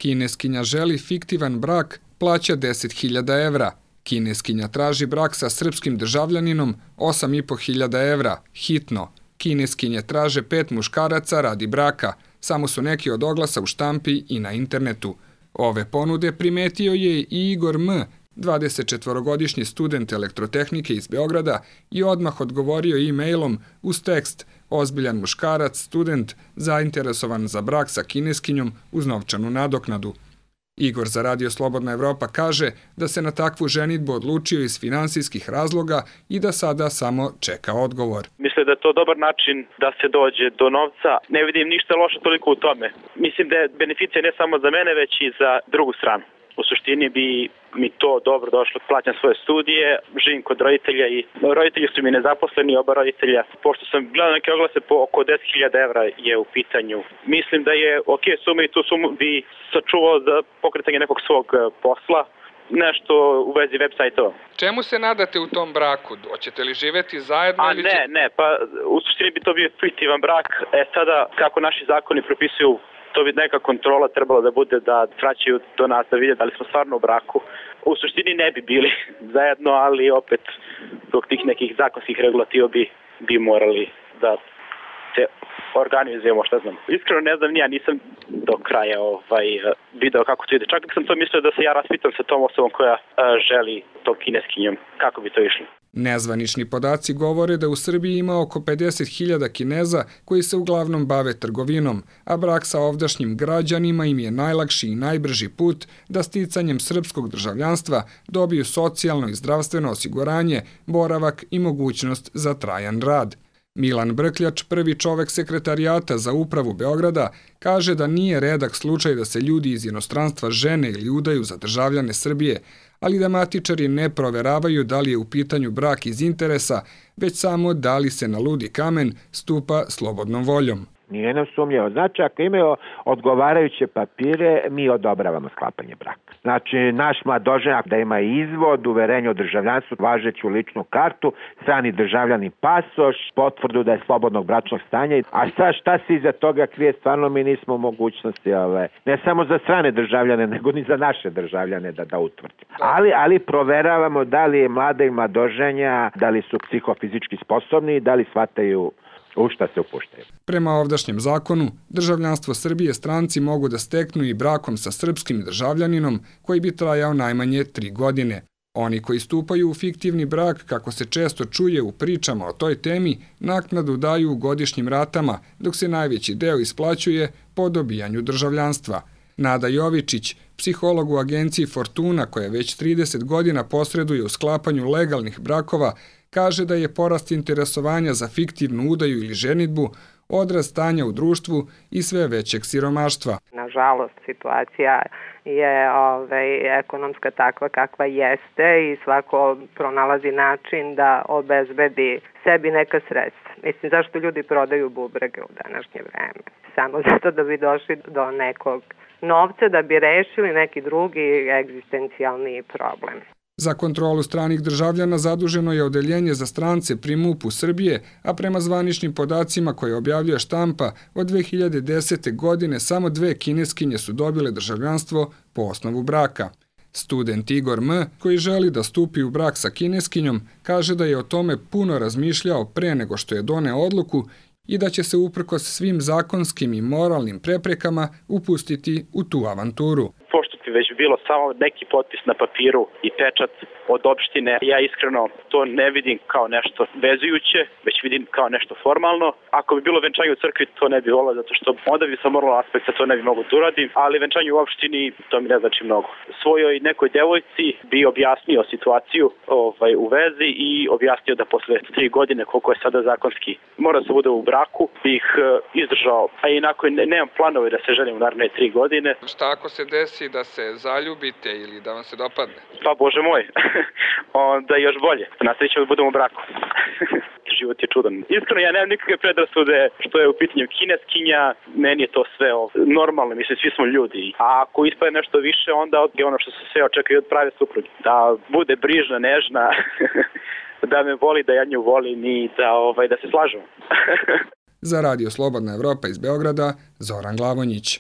Kineskinja želi fiktivan brak, plaća 10.000 evra. Kineskinja traži brak sa srpskim državljaninom, 8.500 evra, hitno. Kineskinje traže 5 muškaraca radi braka, samo su neki od oglasa u štampi i na internetu. Ove ponude primetio je i Igor M., 24-godišnji student elektrotehnike iz Beograda, i odmah odgovorio e-mailom uz tekst ozbiljan muškarac, student, zainteresovan za brak sa kineskinjom uz novčanu nadoknadu. Igor za Radio Slobodna Evropa kaže da se na takvu ženidbu odlučio iz finansijskih razloga i da sada samo čeka odgovor. Mislim da je to dobar način da se dođe do novca. Ne vidim ništa loše toliko u tome. Mislim da je beneficija ne samo za mene, već i za drugu stranu. U suštini bi mi to dobro došlo, plaćam svoje studije, živim kod roditelja i roditelji su mi nezaposleni, oba roditelja. Pošto sam gledao neke oglase po oko 10.000 evra je u pitanju. Mislim da je ok suma i tu sumu bi sačuvao za pokretanje nekog svog posla, nešto u vezi web sajtova. Čemu se nadate u tom braku? Hoćete li živeti zajedno? Ne, pa u suštini bi to bio fiktivan brak. Sada, kako naši zakoni propisuju, to bi neka kontrola trebala da bude da vraćaju do nas da vide da li smo stvarno u braku. U suštini ne bi bili zajedno, ali opet zbog tih nekih zakonskih regulativa bi morali da se organizujemo, šta znam. Iskreno ne znam, nisam do kraja video kako to ide. Čak sam to mislio da se ja raspitam sa tom osobom koja želi tom kineskinjom. Kako bi to išlo? Nezvanični podaci govore da u Srbiji ima oko 50.000 Kineza koji se uglavnom bave trgovinom, a brak sa ovdašnjim građanima im je najlakši i najbrži put da sticanjem srpskog državljanstva dobiju socijalno i zdravstveno osiguranje, boravak i mogućnost za trajan rad. Milan Brkljač, prvi čovek sekretarijata za upravu Beograda, kaže da nije redak slučaj da se ljudi iz inostranstva žene ili udaju za državljane Srbije, ali da matičari ne proveravaju da li je u pitanju brak iz interesa, već samo da li se na ludi kamen stupa slobodnom voljom. Nije nam sumnjivo. Znači, ako imaju odgovarajuće papire, mi odobravamo sklapanje braka. Znači, naš mladoženak da ima izvod, uverenje o državljanstvu, važeću ličnu kartu, strani državljani pasoš, potvrdu da je slobodnog bračnog stanja. A sad šta se iza toga krije, stvarno mi nismo u mogućnosti, ne samo za strane državljane, nego ni za naše državljane da utvrdimo. Ali proveravamo da li je mlada i mladoženja, da li su psihofizički sposobni, da li shvataju u šta se upuštaju. Prema ovdašnjem zakonu, državljanstvo Srbije stranci mogu da steknu i brakom sa srpskim državljaninom koji bi trajao najmanje 3 godine. Oni koji stupaju u fiktivni brak, kako se često čuje u pričama o toj temi, naknadu daju u godišnjim ratama, dok se najveći deo isplaćuje po dobijanju državljanstva. Nada Jovičić, psiholog u agenciji Fortuna koja već 30 godina posreduje u sklapanju legalnih brakova, kaže da je porast interesovanja za fiktivnu udaju ili ženidbu odraz stanja u društvu i sve većeg siromaštva. Nažalost, situacija je ekonomska takva kakva jeste i svako pronalazi način da obezbedi sebi neka sredstva. Mislim, zašto ljudi prodaju bubrege u današnje vreme? Samo zato da bi došli do nekog novca, da bi rešili neki drugi egzistencijalni problem. Za kontrolu stranih državljana zaduženo je odeljenje za strance pri MUP-u Srbije, a prema zvaničnim podacima koje objavljuje štampa, od 2010. godine samo 2 kineskinje su dobile državljanstvo po osnovu braka. Student Igor M., koji želi da stupi u brak sa kineskinjom, kaže da je o tome puno razmišljao pre nego što je doneo odluku i da će se uprkos svim zakonskim i moralnim preprekama upustiti u tu avanturu. Već bilo samo neki potpis na papiru i pečat od opštine. Ja iskreno to ne vidim kao nešto vezujuće, već vidim kao nešto formalno. Ako bi bilo venčanje u crkvi, to ne bi volio, zato što onda bi sa moralnog aspekta to ne bi mogo da uradim, ali venčanje u opštini, to mi ne znači mnogo. Svojoj nekoj devojci bi objasnio situaciju u vezi i objasnio da posle 3 godine, koliko je sada zakonski, mora da se bude u braku, bih izdržao. A inako nemam planove da se ženim u naredne 3 godine. Šta ako se desi da se zaljubite ili da vam se dopadne? Pa Bože moj, onda još bolje. Nastavit ćemo da budemo u braku. Život je čudan. Iskreno, ja nemam nikakve predrasude što je u pitanju kineskinja. Meni je to sve normalno, mislim, svi smo ljudi. A ako ispade nešto više, onda je ono što se sve očekuje od prave supruge. Da bude brižna, nežna, da me voli, da ja nju volim i da se slažemo. Za Radio Slobodna Evropa iz Beograda, Zoran Glavonjić.